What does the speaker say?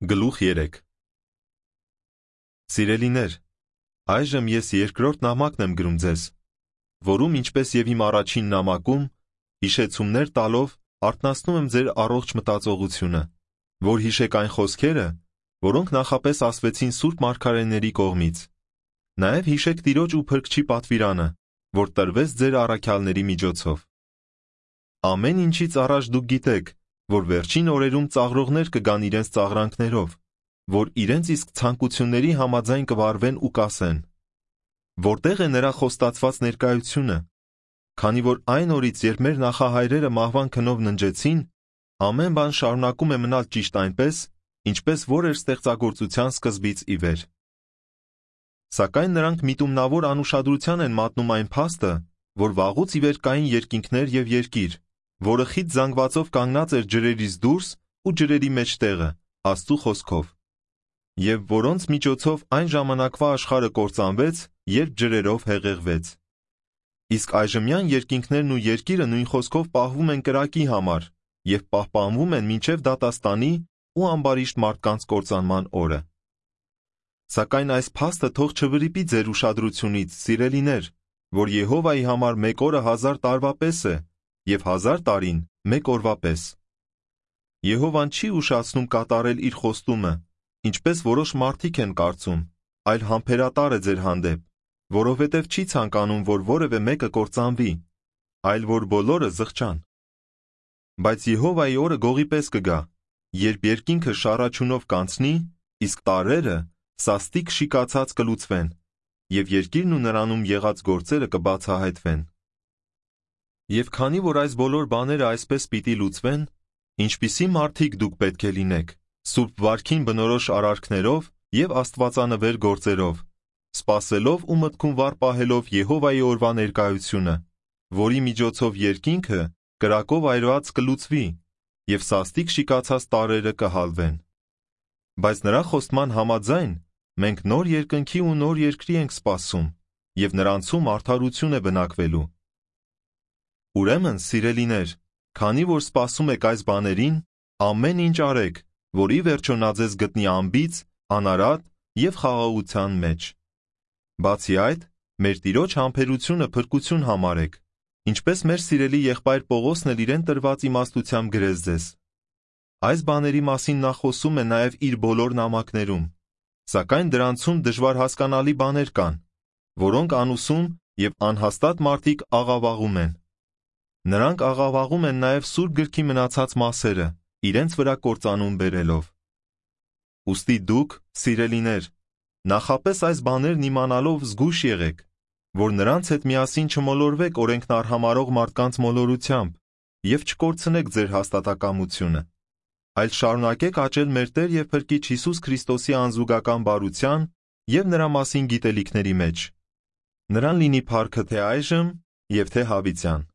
Գլուխ 3 Սիրելիներ, այժմ ես երկրորդ նամակն եմ գրում ձեզ, որում ինչպես եւ իմ առաջին նամակում, հիշեցումներ տալով արթնացնում եմ ձեր առողջ մտածողությունը, որ հիշեք այն խոսքերը, որոնք նախապես ասվեցին սուրբ մարգարեների կողմից։ Նաեւ հիշեք Տիրոջ ու Փրկչի պատվիրանը, որ տրվեց ձեր առաքյալների միջոցով։ Ամեն ինչից առաջ դուք գիտեք, որ վերջին օրերում ծաղրողներ կգան իրենց ծաղրանքներով, որ իրենց իսկ ցանկությունների համաձայն կվարվեն ու կասեն. Որտեղ է նրա խոստացված ներկայությունը, քանի որ այն օրից, երբ մեր նախահայրերը մահվան քնով ննջեցին, ամեն բան շարունակում է մնալ ճիշտ այնպես, ինչպես որ էր ստեղծագործության սկզբից ի վեր։ Սակայն նրանք միտումնավոր անուշադրության են մատնում այն փաստը, որ վաղուց ի վեր կային երկինքներ եւ երկիր, որը խիտ զանգվածով կանգնած էր ջրերից դուրս ու ջրերի մեջտեղը, Աստծու խոսքով, եւ որոնց միջոցով այն ժամանակվա աշխարհը կործանվեց, երբ ջրերով հեղեղվեց։ Իսկ այժմյան երկինքներն ու երկիրը նույն խոսքով պահվում են կրակի համար եւ պահպանվում են մինչեւ դատաստանի ու ամբարիշտ մարդկանց կործանման օրը։ Սակայն այս փաստը թող չվրիպի ձեր ուշադրությունից, սիրելիներ, որ Եհովայի համար մեկ օրը 1000 տարվա պես է եւ 1000 տարին մեկ օրվա պես։ Եհովան չի ուշացնում կատարել իր խոստումը, ինչպես որոշ մարդիկ են կարծում, այլ համբերատար է ձեր հանդեպ, որովհետև չի ցանկանում, որ որևէ մեկը կործանվի, այլ որ բոլորը զղջան։ Բայց Եհովայի օրը գողի պես կգա, երբ երկինքը շառաչյունով կանցնի, իսկ տարրերը սաստիկ շիկացած կլուծվեն, եւ երկիրն ու նրանում եղած գործերը կբացահայտվեն։ Եվ քանի որ այս բոլոր բաները այսպես պիտի լուծվեն, ինչպիսի մարդիկ դուք պետք է լինեք, սուրբ վարքին բնորոշ արարքներով եւ աստվածանվեր գործերով, սպասելով ու մտքում վառ պահելով Եհովայի օրվա ներկայությունը, որի միջոցով երկինքը կրակով այրված կլուծվի եւ սաստիկ շիկացած տարրերը կհալվեն։ Բայց նրա խոստման համաձայն մենք նոր երկնքի ու նոր երկրի ենք սպասում, եւ նրանցում արդարություն է բնակվելու։ Ուրեմն, սիրելիներ, քանի որ սպասում եք այս բաներին, ամեն ինչ արեք, որ ի վերջո նա ձեզ գտնի անբիծ, անարատ եւ խաղաղության մեջ։ Բացի այդ, մեր Տիրոջ համբերությունը փրկություն համարեք, ինչպես մեր սիրելի եղբայր Պողոսն էլ իրեն տրված իմաստությամբ գրեց ձեզ։ Այս բաների մասին նա խոսում է նաեւ իր բոլոր նամակներում, սակայն դրանցում դժվար հասկանալի բաներ կան, որոնք անուսում եւ անհաստատ մարդիկ աղավաղում են։ Նրանք աղավաղում են նաև Սուրբ գրքի մնացած մասերը, իրենց վրա կործանում բերելով։ Ուստի դուք, սիրելիներ, նախապես այս բաներն իմանալով զգույշ եղեք, որ նրանց հետ միասին չմոլորվեք օրենքն արհամարհող մարդկանց մոլորությամբ եւ չկորցնեք ձեր հաստատակամությունը, այլ շարունակեք աճել մեր Տեր եւ Փրկիչ Հիսուս Քրիստոսի անզուգական բարության եւ նրա մասին գիտելիքների մեջ։ Նրան լինի փառքը թե այժմ եւ թե հավիտյան։